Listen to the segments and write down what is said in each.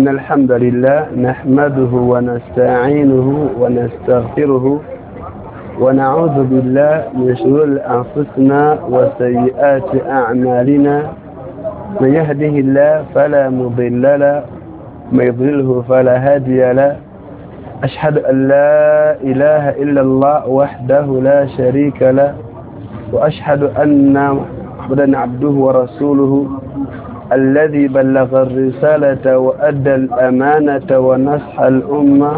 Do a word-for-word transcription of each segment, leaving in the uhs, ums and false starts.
إن الحمد لله نحمده ونستعينه ونستغفره ونعوذ بالله من شرور أنفسنا وسيئات أعمالنا من يهده الله فلا مضل له ومن يضلله فلا هادي له أشهد أن لا إله إلا الله وحده لا شريك له وأشهد أن محمدا عبده ورسوله الذي بلغ الرسالة وأدى الأمانة ونصح الأمة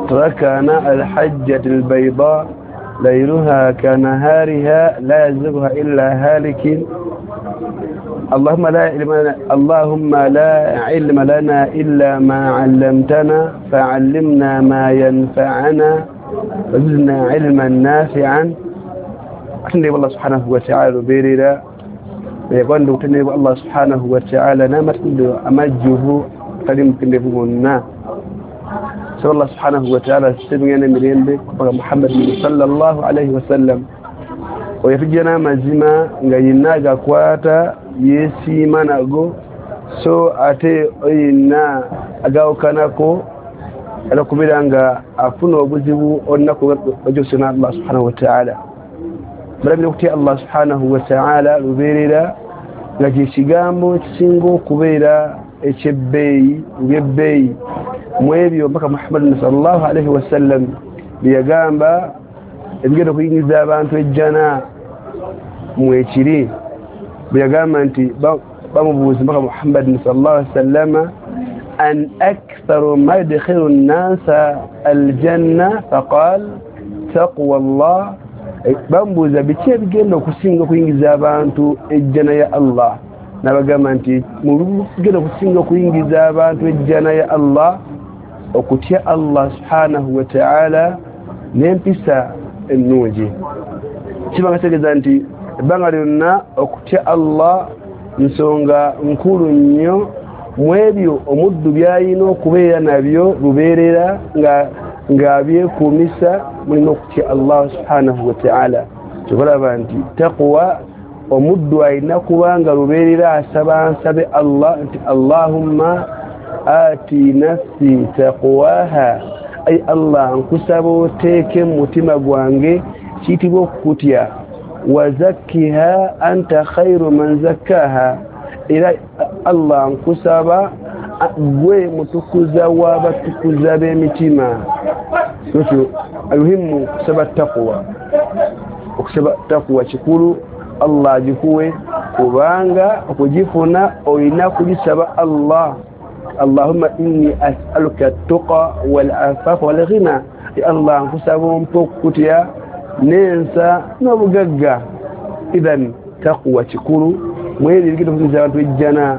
تركنا الحجة البيضاء ليلها كنهارها لا يزيغها إلا هالك اللهم لا علم لنا اللهم لا علم لنا إلا ما علمتنا فعلمنا ما ينفعنا وزدنا علما نافعا. أتنبي الله سبحانه وتعالى بيريرا يقول تنبي الله سبحانه وتعالى نامت أمجه قديم كنبونا سأل الله سبحانه وتعالى سبحانه مريم محمد صلى الله عليه وسلم ويفجنا mazima nga yenna gakwata yesiima nago so ate oyina agawukanako alakubira nga afuna obuzibu olunaku ojosena Allah subhanahu wa ta'ala. Balabira okutya Allah subhanahu wa ta'ala lubeerera nga kye kigambo kisinga okubeera ekyebbeeyi ebyebbeeyi mu ebyo mpaka Muhammad sallallahu alaihi wasallam byeyagamba ebigenda okuyingiza abantu ejjana mwekiri bwe yagamba nti bamubuuza mpaka Muhammad sallallahu alaihi wasallam an aktharu ma yudkhilu nnasa aljanna faqal taqwa Allah. Bamubuuza biki ebigenda okusinga okuyingiza abantu ejjana ya Allah, n'abagamba nti mu bigenda okusinga okuyingiza abantu ejjana ya Allah okutya Allah subhanahu wa ta'ala n'empisa ennungi. Kiba nga kitegeeza nti ebbanga lyonna okutya Allah nsonga nkulu nnyo mu ebyo omuddu by'alina okubeera nabyo lubeerera nga ng'abyekuumisa mulina okutya Allah subhanahu wa ta'ala. Kyobalaba nti taqwa omuddu alina kubanga lubeerera asaba nsabe Allah nti Allahumma ati nafsi taqwaha, ay Allah nkusaba oteeke mu mutima gwange kiyitibwa okukutya, wazakkiha anta khairu man zakkaha, era Allah nkusaba gwe mutukuza w'abatukuza b'emitima. Ekyo almuhimu kusaba taqwa, okusaba taqwa kikulu Allah agikuwe kubanga okugifuna olina kugisaba Allah. Allahumma inni as'aluka at-tuqa wal-afafa wal-ghina, ya Allah nkusaba ompe okukutya n'ensa n'obugagga. Idhan taqwa kikulu mweri ebigenda okuyingiza abantu ejjana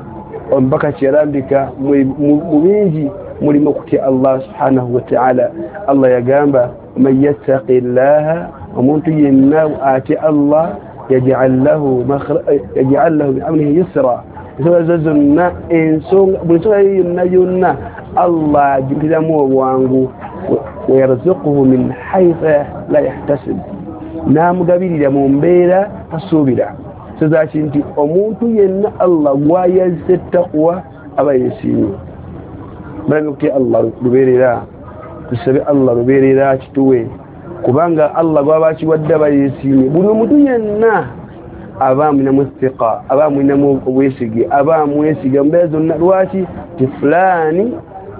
omubaka kyeyalambika mu bingi mulimu okutya Allah subhanahu wa ta'ala. Allah yagamba man yattaqi llaha, omuntu yenna atya Allah yaj'al lahu yaj'al lahu min amrihi yusra, ensonga zo zonna ensonga buli nsonga yonna yonna Allah agimuteramu obwangu, wayarzuquhu min haythu la yahtasib, n'amugabirira mu mbeera tasuubira. Kitegeeza ki nti omuntu yenna Allah gw'ayazze taqwa aba yeesiimye. Balabye okutya Allah lubeerera, tusabe Allah lubeerera kituwe kubanga Allah gw'aba akiwadde aba yeesiimye. Buli omuntu yenna aba amulinamu thiqa, aba amulinamu obwesige, aba amwesiga mu mbeera zonna. Lwaki? Ti fulaani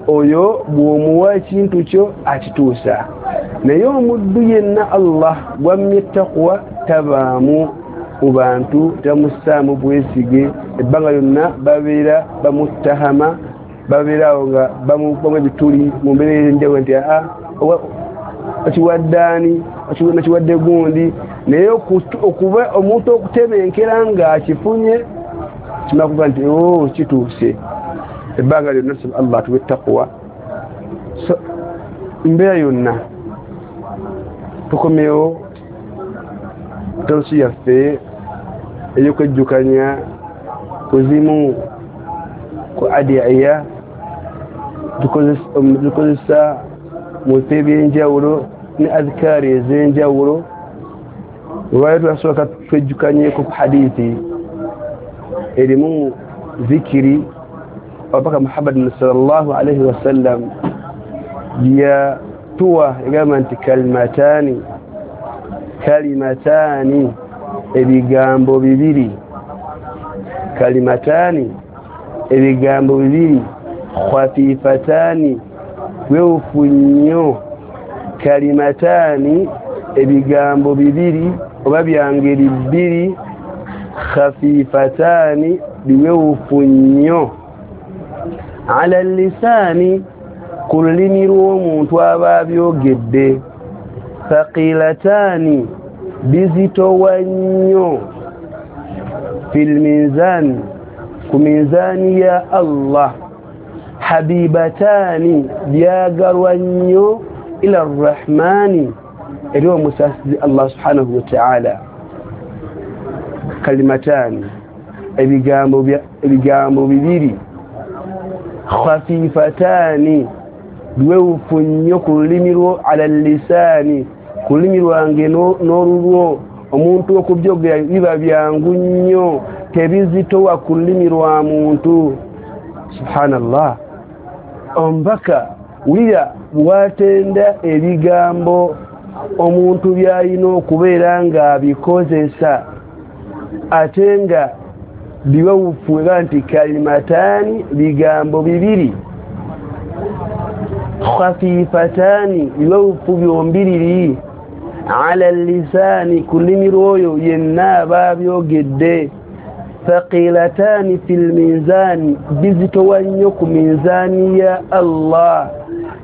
oyo bw'omuwa ekintu kyo akituusa. Naye omuddu yenna Allah gw'ammye taqwa tabaamu mu bantu, tamussaamu bwesige, ebbanga lyonna babeera bamuttahama, babeera awo nga bamukubamu ebituli mu mbeera ez'enjawulo nti aa okiwadde ani, okiwadde gundi. Naye okuba omuntu okutebenkera ng'akifunye kimala kuba nti oo kituuse. Ebbanga lyonna tusaba Allah atuwe taqwa. So mbeera yonna tukomewo tawsi yaffe ey'okwejjukanya kuzimu ku adiya tukozesa mu bifo eby'enjawulo ne adhikaari ez'enjawulo. Olwaleero twasooka twejjukanyeko ku hadithi erimu zikiri Abubaka Muhammad sallallahu alaihi wasallam yatuwa egamba nti kalimatani kalimatani ebigambo bibiri kalimatani ebigambo bibiri khafifatani wewufu nnyo kalimatani ebigambo bibiri oba byangeri bbiri khafifatani biwewufu nnyo ala lisani ku lulimi lw'omuntu aba abyogedde thaqilatani bizitowa nnyo fil mizan ku minzani ya Allah habibatani byagalwa nnyo ila arrahmani eri omusasizi Allah subhanahu wa ta'ala kalimatani ebigambo ebigambo bibiri khafifatani biwewufu nnyo ku lulimi lwo ala lisani ku lulimi lwange n'olulwo omuntu okubyogera biba byangu nnyo tebizitowa ku lulimi lwa muntu subhanallah omubaka wulira bwatenda ebigambo omuntu byalina okubeera ng'abikozesa ate nga biwewufu era nti kalimatani bigambo bibiri khafifatani biwewufu byombiriri ala lisani ku lulimi lw'oyo yenna aba abyogedde thaqilatani fil mizani bizitowa nnyo ku minzani ya Allah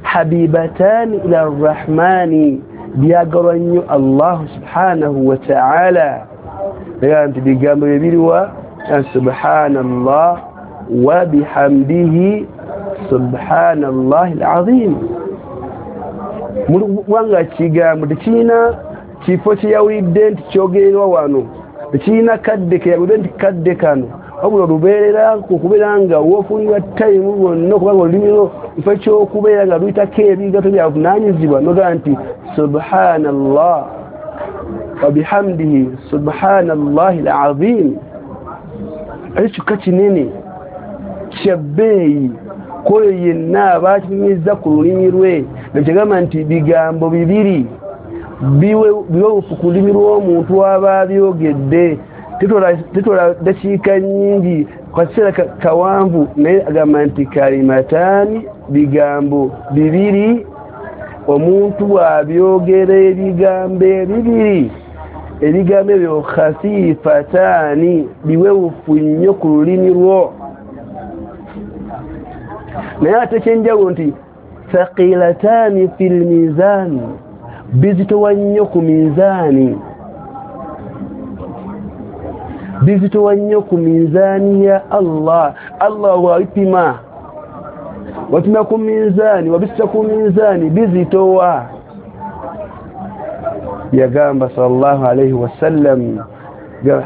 habibatani ila arrahmani byagalwa nnyo Allah subhanahu wa ta'ala era nti bigambo bibiriwa subhanallah wa bihamdihi subhanallahi alazim mulwanga kigambo tekirina kifo kyeyawulidde nti kyogererwa wano tekirina kadde keyawulidde nti kadde kano wabula olubeerera okubeera nga woofunira tayimu bwonna okubanga olulimi lwo kifo ky'okubeera nga luyitako ebigato byavunaanyizibwa nogamba nti subhanallah wa bihamdihi subhanallahi alazim ekyo kyokka kinene kya bbeeyi kwoyo yenna aba akinyumizza ku lulimi lwe nekyagamba nti bigambo bibiri biwewufu ku lulimi lw'omuntu aba abyogedde tetwala dakiika nnyingi kaseera kawanvu naye agamba nti kalimataani bigambo bibiri omuntu bw'abyogera ebigambo ebibiri ebigambo ebyo khafifataani biwewufu nnyo ku lulimi lwo naye ate ekyenjawulo nti thaqilatani fil mizan bizitowa nnyo ku minzaani bizitowa nnyo ku minzaani ya Allah Allah wabipima wapima ku minzaani wabissa ku minzaani bizitowa yagamba sallallahu alayhi wasallam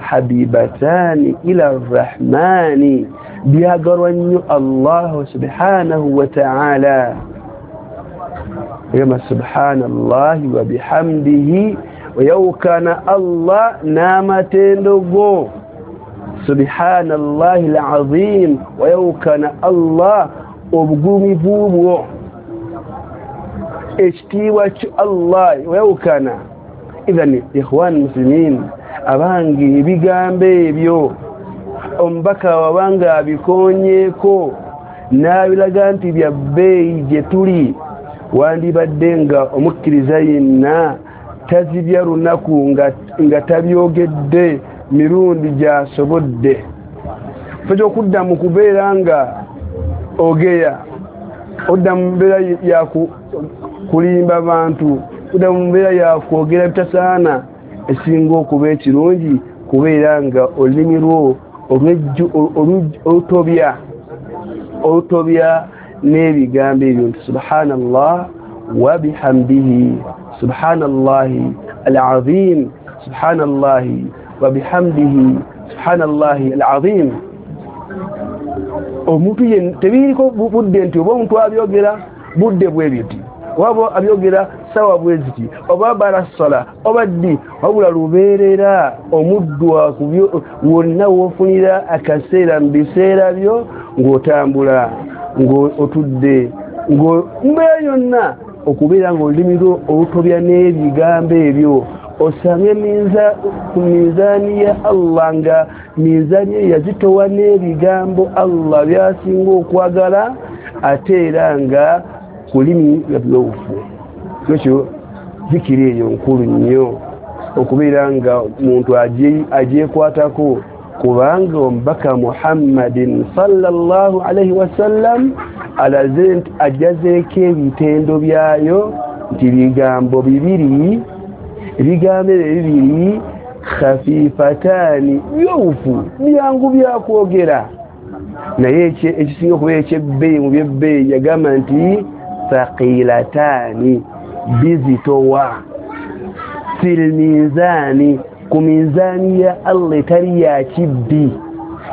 habibatani ila arrahmani byagalwa nnyo Allah subhanahu wa ta'ala yagamba subhanallahi wa bihamdihi wayawukana Allah n'amatendo go subhanallahi alazim wayawukana Allah obugumivu bwo ekitiibwa kyo Allah wayawukana idhan ikhwan muslimin abange ebigambo ebyo omubaka wabanga abikonyeeko n'abiraga nti bya bbeeyi gye tuli wandibadde nga omukkiriza yenna tazibya lunaku nga, nga tabyogedde mirundi gy'asobodde ffe ky'okudda mu kubeera nga ogeya odda mu mbeera ya kulimba bantu odda mu mbeera ya kwogera bitasaana esinga okuba ekirungi kubeera nga olulimi lwo olutobya olutobya n'ebigambo ebyo nti subhanallah wa bihamdihi subhanallahi alazim subhanallahi wa bihamdihi subhanallahi alazim omuntu tebiriko budde nti oba omuntu abyogera budde bwe biti oba abyogera sawa bwe ziti oba barasala oba ddi wabula lubeerera omuddu wonna w'ofunira akaseera mu biseera byo Ng'otambula, ng'otudde, ng'ombeera yonna, okubeera ng'olulimi lwo olutobya n'ebigambo ebyo, osange ku minzaani ya Allah nga minzaani eyo yazitowa n'ebigambo Allah by'asinga okwagala, ate era nga kulimi nga byowufu. Ekyo zikiri eyo nkulu nnyo okubeera nga muntu agyekwatako, kubanga omubaka Muhammadin sallallahu alaihi wasallam alaze nti ajjazeeko ebitendo byayo nti bigambo bibiri, ebigambo ebyo bibiri khafifataani, byowufu, byangu byakwogera, naye ekisinga okubeera ekyebbeeyi mu byebbeeyi yagamba nti thaqilataani, bizitowa, fil minzaani, ku minzaani ya Allah etali ya kibbi,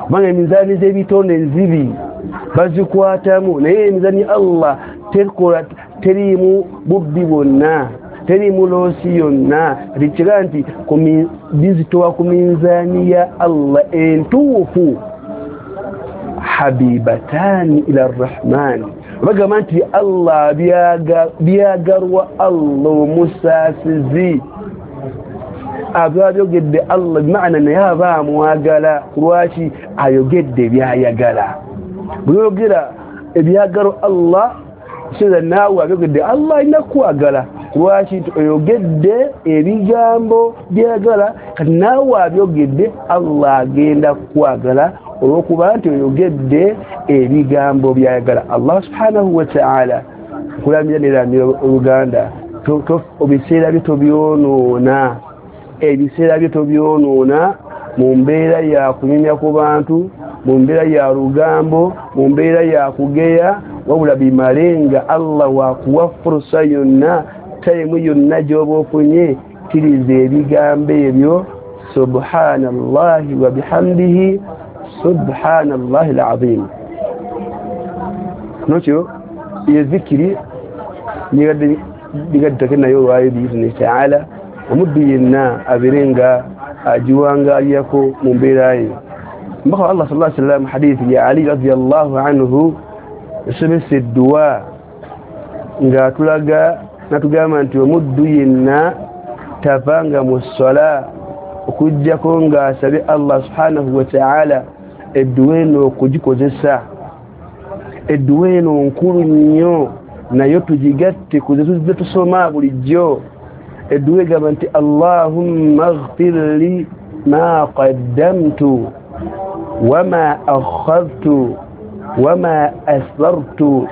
kubanga eminzaani z'ebitonde nzibi bazikwatamu, naye emizaani ya Allah tekola, teriimu bubbi bwonna, teriimu loosi yonna. Kati nti bizitowa ku minzaani ya Allah entuufu, habibataani ila rrahmaani, bagamba nti Allah byagalwa Allah omusaasizi, aba abyogedde Allah bimaana naye aba amwagala. Lwaki ayogedde byayagala? Bweyogera ebyagalwa Allah, kitegeeza naawe abyogedde Allah alina kukwagala. Lwaki oyogedde ebigambo byayagala, kati naawe abyogedde Allah agenda kukwagala olw'okuba nti oyogedde ebigambo byayagala. Allah subhanahu wa ta'ala nkulamira neramira oluganda, ebiseera byo tobyonoona, ebiseera byo tobyonoona mu mbeera ya kunyumya ku bantu, mu mbeera ya lugambo, mu mbeera ya kugeya, wabula bimale nga Allah wakuwa furusa yonna, tayimu yonna gy'oba ofunye, kkiriza ebigambo ebyo subhanallahi wa bihamdihi subhanallahi alazim. Nokyo yezikiri nigaddeko nayo olwayo biizni taala, omuddu yenna abeere nga agiwangaalirako mu mbeera ye. Mbaka wa Allah sallallahu alaihi wasallam, hadithi ya Ali radiyallahu anhu, yasomesa edduwa ng'atulaga natugamba nti omuddu yenna tavanga mu ssala okuggyako ng'asabye Allah subhanahu wa ta'ala edduwa eno okugikozesa. Edduwa eno nkulu nnyo, nayo tugigatte ku ze tuzze tusoma bulijjo. Edduwa egamba nti Allahumma ighfir li ma qaddamtu wama akhadhtu wama asrartu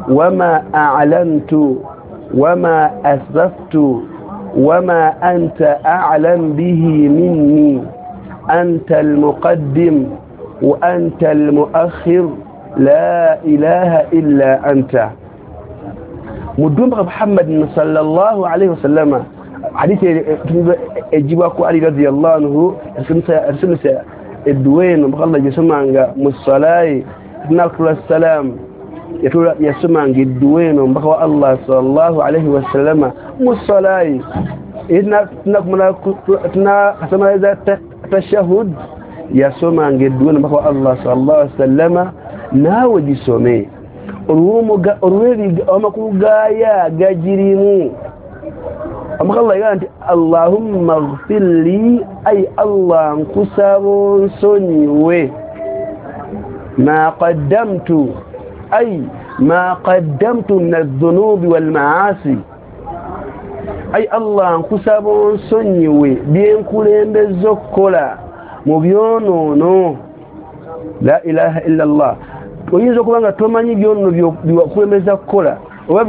wama a'lantu wama asraftu wama anta a'lam bihi minni anta al-muqaddim wa anta al-muakhir la ilaha illa anta. Mudumba Muhammad sallallahu alayhi wasallama, hadithi ejibwako Ali radiyallahu anhu, yasomesa edduwa eno mbaka Allah gyesomanga mu ssalayi tunakula salam, yasomanga edduwa eno mbaka wa Allah sallallahu alayhi wasallama mu ssalayi tunakamaliza tashahud, yasomanga edduwa eno mbaka wa Allah sallallahu alayhi wasallama. Naawe gisome olw'amakulu gaayo agagirimu. Omubaka Allah yagamba nti Allahumma ighfir li, ay Allah nkusaba onsonyiwe, ma qaddamtu, ay ma qaddamtu min adh-dhunubi wal ma'asi, ay Allah nkusaba onsonyiwe byenkulembeza okukola mu byonoono. La ilaha illa Allah. Oyinza okuba nga tomanyi byonoono byewakulembeza kukola oba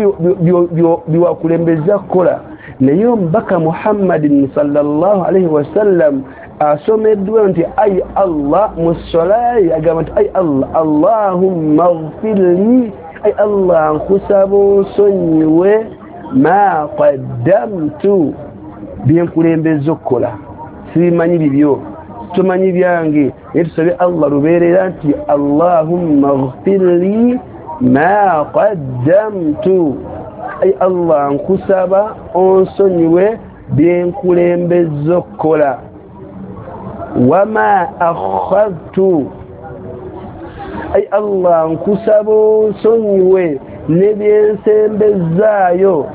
byewakulembeza kukola, naye omubaka Muhammadin sallallahu alaihi wasallam asomeddwa nti ay Allah mu ssalayi agamba nti ay Allah Allahumma ighfir li, ay Allah nkusaba onsonyiwe ma qaddamtu, byenkulembeza okukola, sibimanyi bibyo, tomanyi byange, naye tusabe Allah lubeerera nti Allahumma ighfir li ma qaddamtu, ay Allah nkusaba onsonyiwe byenkulembeza okukola, wama akhadhtu, Ai Allah, nkusaba onsonyiwe nebyensembezaayo,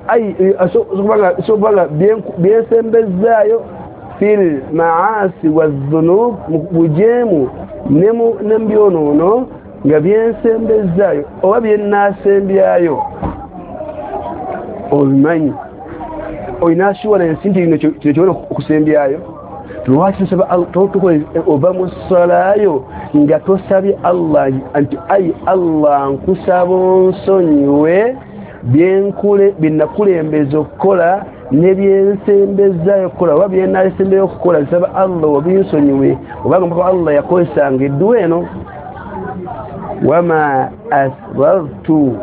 ai sobanga byensembezaayo fil maasi wadhunub, mu bujeemu ne mu byonoono, nga byensembezaayo oba byennaasembyayo. Obimanyi, olina assurance nti kino kino okusembyayo. Lwaki tusaba tukola ova mu ssalaayo nga tosabye Allah nti ai Allah, nkusaba onsonyiwe byenkule byenakulembeza okukola ne byensembezaayo okukola oba byenasembeyo okukola, nsaba Allah obinsonyiwe, obanga mpaka Allah yakozesanga edduwa eno. Wama asrartu,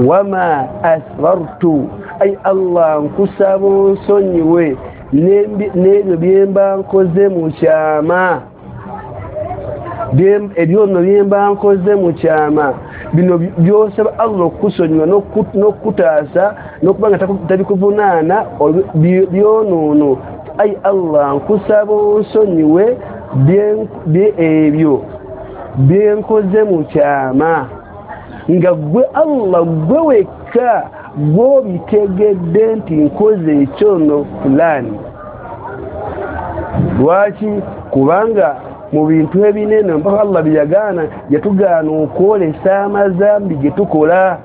wama asrartu, ai Allah, nkusaba onsonyiwe n'ebyo byemba nkoze mu kyama, ebyono byemba nkoze mu kyama. Bino byosaba Allah okukusonyiwa n'okukutaasa n'okuba nga tabikuvunaana byonoono. Ai Allah, nkusaba onsonyiwe ebyo byenkoze mu kyama, nga gwe Allah gwe wekka gw'obitegedde nti nkoze ekyono fulani. Lwaki? Kubanga mu bintu ebinene mpaka Allah byeyagaana, yatugaana okwolesa amazambi ge tukola.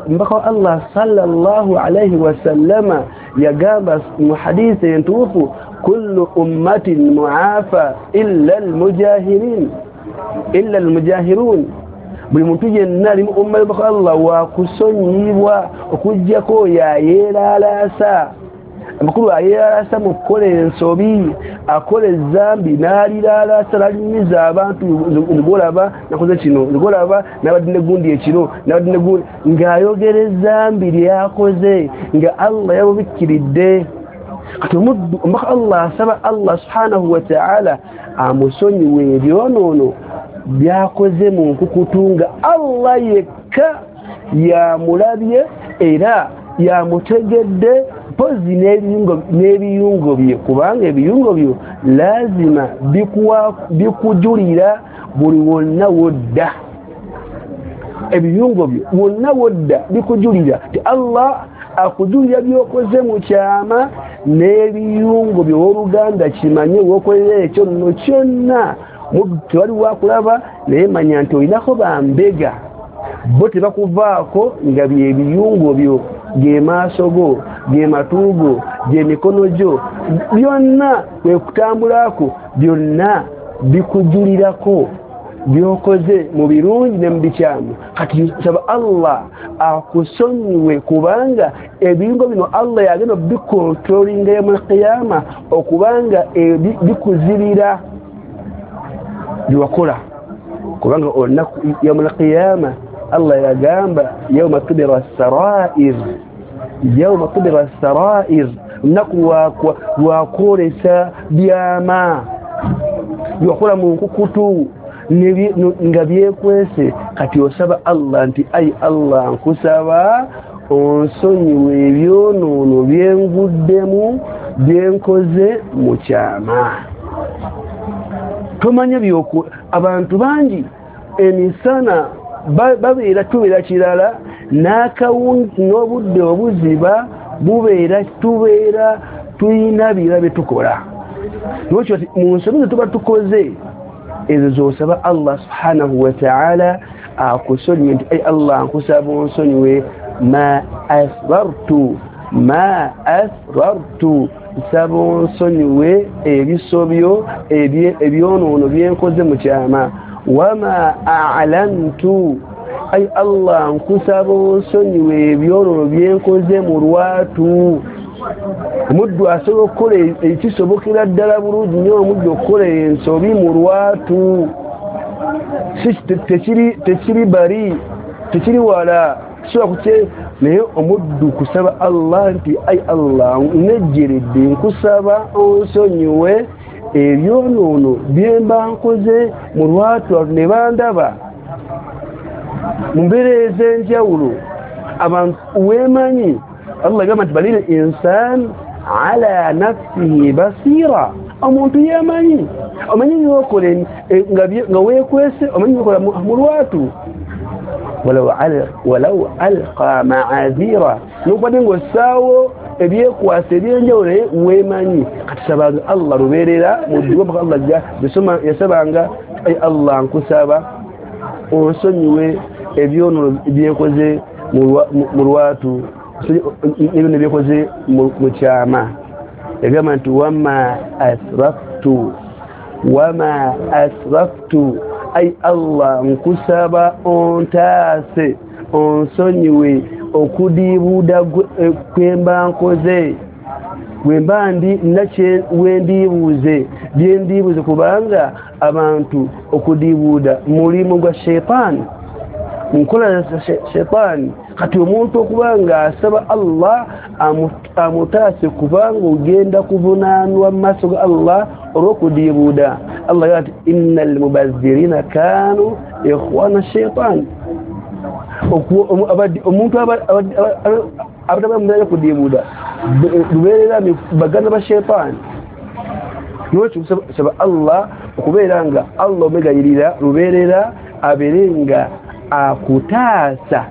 Mpaka Allah sallallahu alaihi wasallama yagamba mu hadithi entuufu, kullu ummatin muafa illa almujahirin, illa almujahirun. Buli muntu yenna ali mu umma y'omubaka Allah wakusonyiyibwa okuggyako oyo ayeeralaasa. Amakulu, ayeeralaasa mu kukola ensobi, akola ezambi n'aliralaasa, n'alimiza abantu, nzigolaba nakoze kino, nzigolaba nabadde negundi ekiro, nabadde negundi, ng'ayogera ezambi lyakoze nga Allah yamubikkiridde. Kati omuddu omubaka Allah asaba Allah subhanahu wa ta'ala amusonyiwe ebyonoono byakoze mu nkukutu, nga Allah yekka yamulabye era yamutegedde, mpozi n'ebiyungo bye, kubanga ebiyungo byo lazima bikujulira buli wonna wodda. Ebiyungo byo wonna wodda bikujulira ti Allah akujulira byokoze mu kyama n'ebiyungo byo. Oluganda kimanye, wokolera ekyo nno kyonna tewali wakulaba, naye manya nti olinako bambega bo tebakuvaako, nga byebiyungo byo, ge maaso go, ge matu go, ge mikono gyo, byonna kwe kutambulako, byonna bikujulirako byokoze mu birungi ne mu bikyamu. Kati saba Allah akusonyiwe, kubanga ebiyungo bino Allah yagenda bikontrolinga yawmal qiyama, okubanga bikuzibira byewakola, kubanga olunaku yawmal qiyama Allah yagamba yawma tubira sarair, yawma tubira sarair, olunaku lwakwolesa byama byewakola mu nkukutu nga byekwese. Kati osaba Allah nti ai Allah, nkusaba onsonyiwe ebyonoono byenguddemu byenkoze mu kyama. Tomanya byoku abantu bangi emisana babeera tubeera kirala, n'akawungi n'obudde obuziba bubeera tubeera tuyina bira bye tukola. Lwekyo mu nsobi ze tuba tukoze ezo z'osaba Allah subhanahu wa ta'ala akusonyiwe nti ai Allah, nkusaba onsonyiwe ma asrartu, ma asrartu, nsaba onsonyiwe ebisobyo ebyonoono byenkoze mu kyama. Wama a'lantu, ai Allah, nkusaba onsonyiwe ebyonoono byenkoze mu lwatu. Omuddu asobola okukola ekisobokera ddala bulungi nnyo, omuddu okukola ensobi mu lwatu tekiri tekiri bali tekiri wala kisobola kukye, naye omuddu kusaba Allah nti ai Allah, nejjeredde nkusaba onsonyiwe ebyonoono byemba nkoze mu lwatu ne bandaba mu mbeera ez'enjawulo. Abantu weemanyi Allah gamba nti balil insan ala nafsihi basira, Omuntu yemanyi, omanyi byokola nga weekwese, omanyi byokola mu lwatu. Walau alqa ma'azira, nokubadde ng'ossaawo ebyekwasa ebyenjawulo naye weemanyi. Kati sabanga Allah lubeerera mu dduwa mpaka Allah ajja yasabanga, ai Allah nkusaba onsonyiwe ebyonono byenkoze mu lwatu, ebyonono byenkoze mu kyama. Yagamba nti wama asraftu, wama asraftu, ai Allah nkusaba ontaase onsonyiwe okudiibuuda kwemba nkoze, bwemba ndi nakye wendiibuuze byendiibuuze, kubanga abantu okudiibuuda mulimu gwa sheitaani, nkola za sheitaani. Kati omuntu okuba nga asaba Allah amutaase, kubanga ogenda kuvunaanwa mu maaso ga Allah olw'okudiibuuda. Allah yagamba nti innal mubazzirina kaanu ikhwana sheitaani. Omuntu abataba mumbeera kudiibuuda lubeerera baganda ba sheitaani. Nolwekyo saba Allah okubeera nga Allah omwegayirira lubeerera abeere nga akutaasa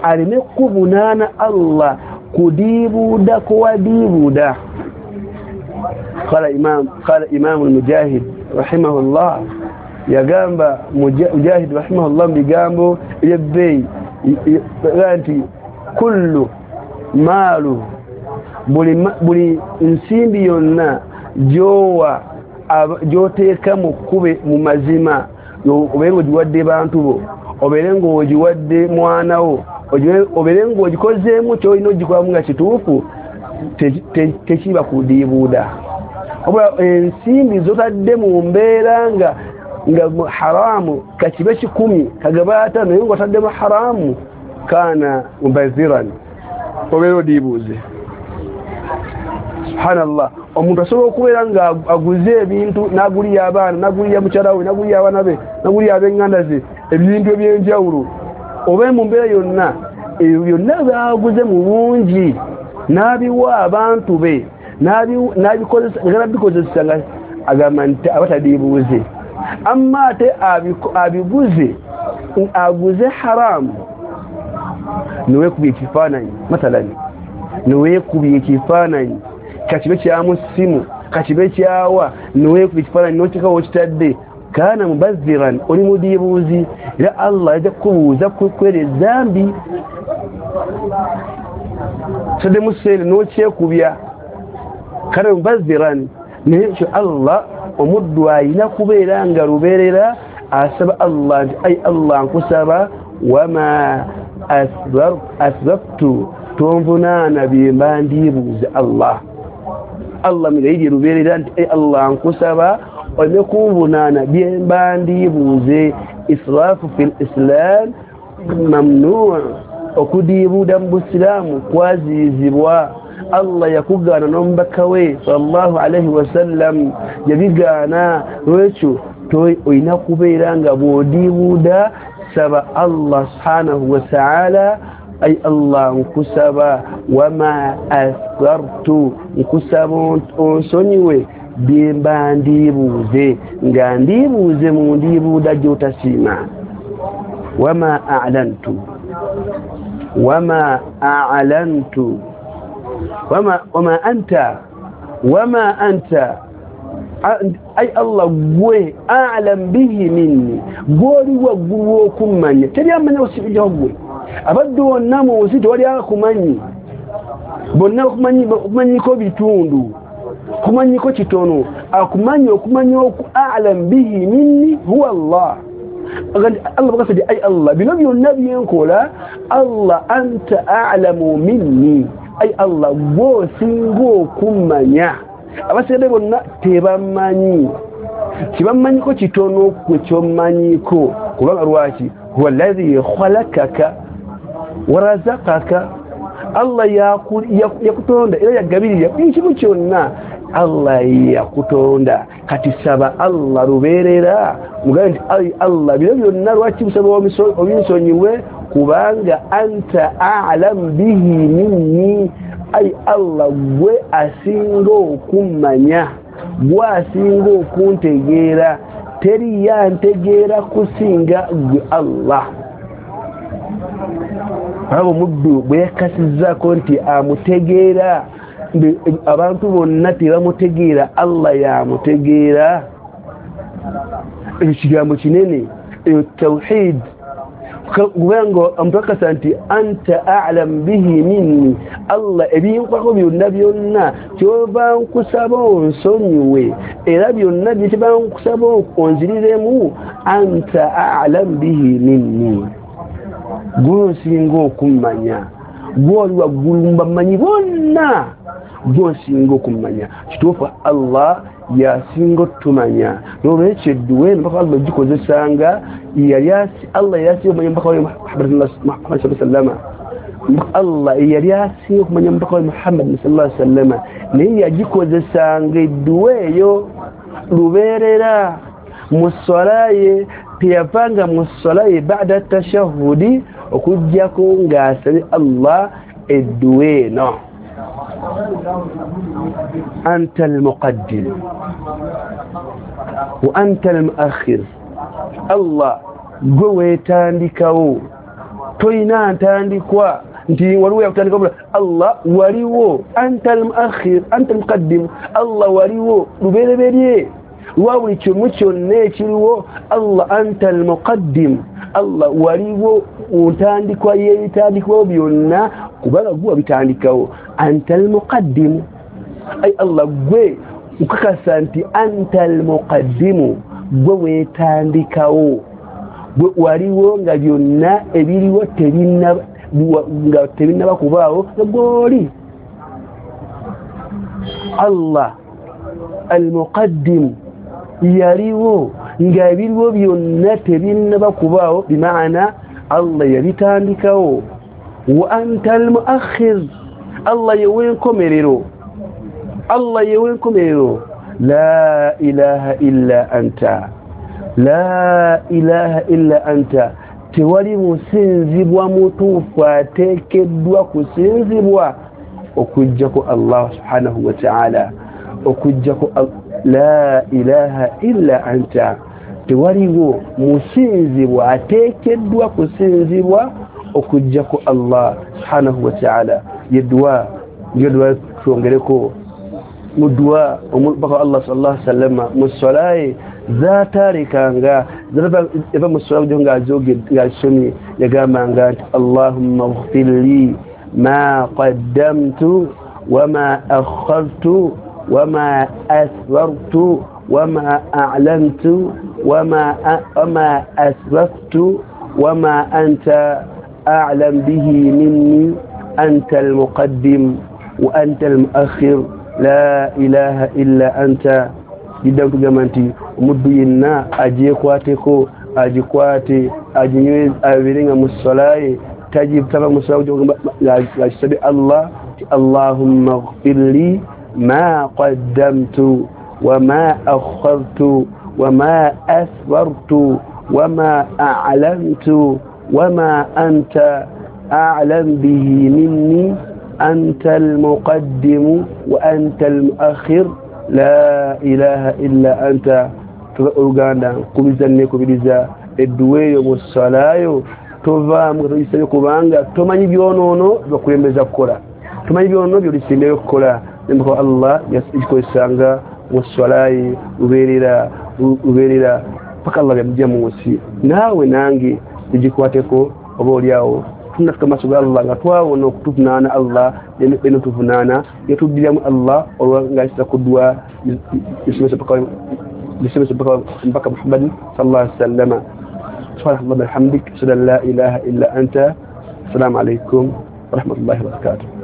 aleme kuvunaana Allah kudiibuuda kuwadiibuuda. Qala imam, qala Imam al-Mujahid rahimahullah, yagamba Mujahid rahimahullah mu bigambo ebyebbeeyi nti kullu maalu, buli nsimbi yonna gy'owa gy'oteeka mu kkube mu mazima, obeere ng'ogiwadde bantu bo, obeere ng'ogiwadde mwana wo, obeere ng'ogikozeemu ky'olina ogikolamu nga kituufu, tekiba kudiibuuda. Wabula ensimbi z'otadde mu mbeera nga nga haramu, kakibe kikumi kagaba ataano, naye ng'otaddemu haramu, kaana mubaziran, obeera odiibuuze. Subhanallah, omuntu asobola okubeera nga aguze ebintu n'agulira abaana, n'agulira mukyala we, n'agulira abaana be, n'agulira ab'enganda ze ebintu eby'enjawulo, oba mu mbeera yonna ebyo byonna byaguze mu bungi n'abiwa abantu be, n'abikozesa nga agamba nti aba tadiibuuze. Amma ate abiguze aguze haramu, niweekubye ekifaananyi, mathalani niweekubye ekifaananyi kakibe kyamu ssimu, kakibe kyawa, niweekubye ekifaananyi n'oteekawo okitadde, kaana mubazziran, oli mudiibuuzi. Era Allah ajja kukubuuza kwera ezambi. Otaddemu ssente n'okyekubya, kaana mubazziran. Naye ekyo Allah omuddu ayina kubeera nga lubeerera asaba Allah nti ai Allah nkusaba wama asraftu, tonvunaana byemba ndiibuuze Allah. Allah mugayirye lubeerera nti ai Allah nkusaba oleme kunvunaana byemba ndiibuuze. Israafu fil islam mamnuu, okudiibuuda mu busiraamu kwaziizibwa. Allah yakugaana n'omubaka we sallallahu alaihi wasallam yabigaana. Lwekyo olina kubeera nga bw'odiibuuda saba Allah subhanahu wa ta'ala, ai Allah nkusaba wama asrartu, nkusaba onsonyiwe byemba ndiibuuze, nga ndiibuuze mu ndiibuuda gy'otasiima. Wama a'lantu, wama a'lantu, wama wama anta, wama anta, ai Allah gwe a'lam bihi minni, gw'oli waggulu okummanya, teri amanya osibijjaho gwe. Abaddu bonna mu nsi tewali akumanyi, bonna okumanyiko bitundu, kumanyiko kitono, akumanyi okumanya oku a'lam bihi minni huwa Allah. Allah bakasadi ai Allah bino byonna byenkola, Allah anta a'lamu minni, ai Allah gw'osinga okummanya. Abasigadde bonna tebamanyi, kibamanyiko kitono kwe kyomanyiko. Kubanga lwaki? Huwa alladhi khalaqaka warazaqaka, Allah yakutonda era yagabirira buli kimu kyonna, Allah yakutonda. Kati saba Allah lubeerera, mugambe nti ai Allah bino byonna lwaki busaba obinsonyiwe, kubanga anta a'lam bihi minni, ai Allah gwe asinga okummanya. Gwasinga okuntegeera, teri yantegeera kusinga gwe Allah. Abo muddu bwe yakasizzaako nti amutegeera, abantu bonna tebamutegeera, Allah yamutegeera. Ekyo kigambo kinene, eyo tawhid. Kubanga omuntu nti anta a'lam bihi minni, Allah ebinkwako byonna byonna kyova nkusaba onsonyiwe, era byonna bye nkusaba onziriremu, anta a'lam bihi minni, gw'osinga okummanya, gw'oli waggulu mbamanyi bonna, gw'osinga okummanya. Kituufu Allah yasinga otumanya. N'olwekyo edduwa eno mpaka Allah ogikozesanga, yali Allah yasinga okumanya mpaka wa Muhammad sallama, Allah yali asinga okumanya mpaka wa Muhammad sallallahu alaihi wasallam, naye yagikozesanga edduwa eyo lubeerera mu swala ye. Teyavanga mu swala ye ba'da tashahhudi okuggyako ng'asabye Allah edduwa eno. Anta al-muqaddim wa anta al-muakhir, Allah gwe weetandikawo, toyina ntandikwa nti waliwo yakutandika. Allah waliwo, anta al-muakhir, anta al-muqaddim, Allah waliwo lubereberye lwa buli kimu kyonna ekiriwo. Allah anta al-muqaddim, Allah waliwo ntandikwa y'ebitandikwawo byonna, kubanga gwe wabitandikawo. Anta al-muqaddim, ay Allah gwe ukakasa nti anta al-muqaddimu, gwe weetandikawo, gwe waliwo nga byonna ebiriwo tebinnaba, nga tebinnaba kubaawo nga gw'oli. Allah al-muqaddim yaliwo nga ebiriwo byonna tebinnaba kubaawo, bimaana Allah yabitandikawo. Wa anta al-muakhir, Allah yewenkomerero, Allah yewenkomerero. La ilaha illa anta, la ilaha illa anta, tewali musinzibwa mutuufu ateekeddwa kusinzibwa okuggyako Allah subhanahu wa ta'ala, okuggyako la ilaha illa anta, tewaliwo musinzibwa ateekeddwa kusinzibwa okuggyako Allah subhanahu wa ta'ala. Yedduwa yedduwa twongereko mu dduwa omubaka Allah sallallahu alaihi wasallam mu swala ye zaatalekanga, eva mu swala ng'azisomye yagambanga nti Allahumma ighfir li ma qaddamtu wama akhartu wama asrartu wama a'lantu wama wama asraftu wama anta a'lam bihi minni anta al-muqaddim wa anta al-muakhir la ilaha illa anta. Didda kugamba nti omuddu yenna agyekwateko, agikwate, aginyweze, abeere nga mu swala ye tagitaba mu swala ng'akisabye Allah ti Allahumma ighfir li ma qaddamtu wama akhartu wama asrartu wama a'lantu wama anta a'lam bihi minni anta al-muqaddim wa anta al-muakhir la ilaha illa anta. Oluganda nkubiza nekubiriza edduwa eyo mu swalayo tovaamu nga togisabye, kubanga tomanyi byonoono byakulembeza kukola, tomanyi byonoono byolisembeyo kukola. Nembuka Allah yagikozesanga mu swala ye lubeerera lubeerera paka Allah byamujja mu nsi. Naawe nange tugikwateko, oba oliawo tunafika maaso ga Allah nga twawona okutuvunaana Allah beno tuvunaana yatuddiramu Allah olwa ng'ayisa ku dduwa isomesa paka isomesa paka mpaka Muhammad sallallahu alaihi wasallam. Subhanallah bihamdik, ashhadu an la ilaha illa anta. Assalamu alaikum wa rahmatullahi wa barakatuh.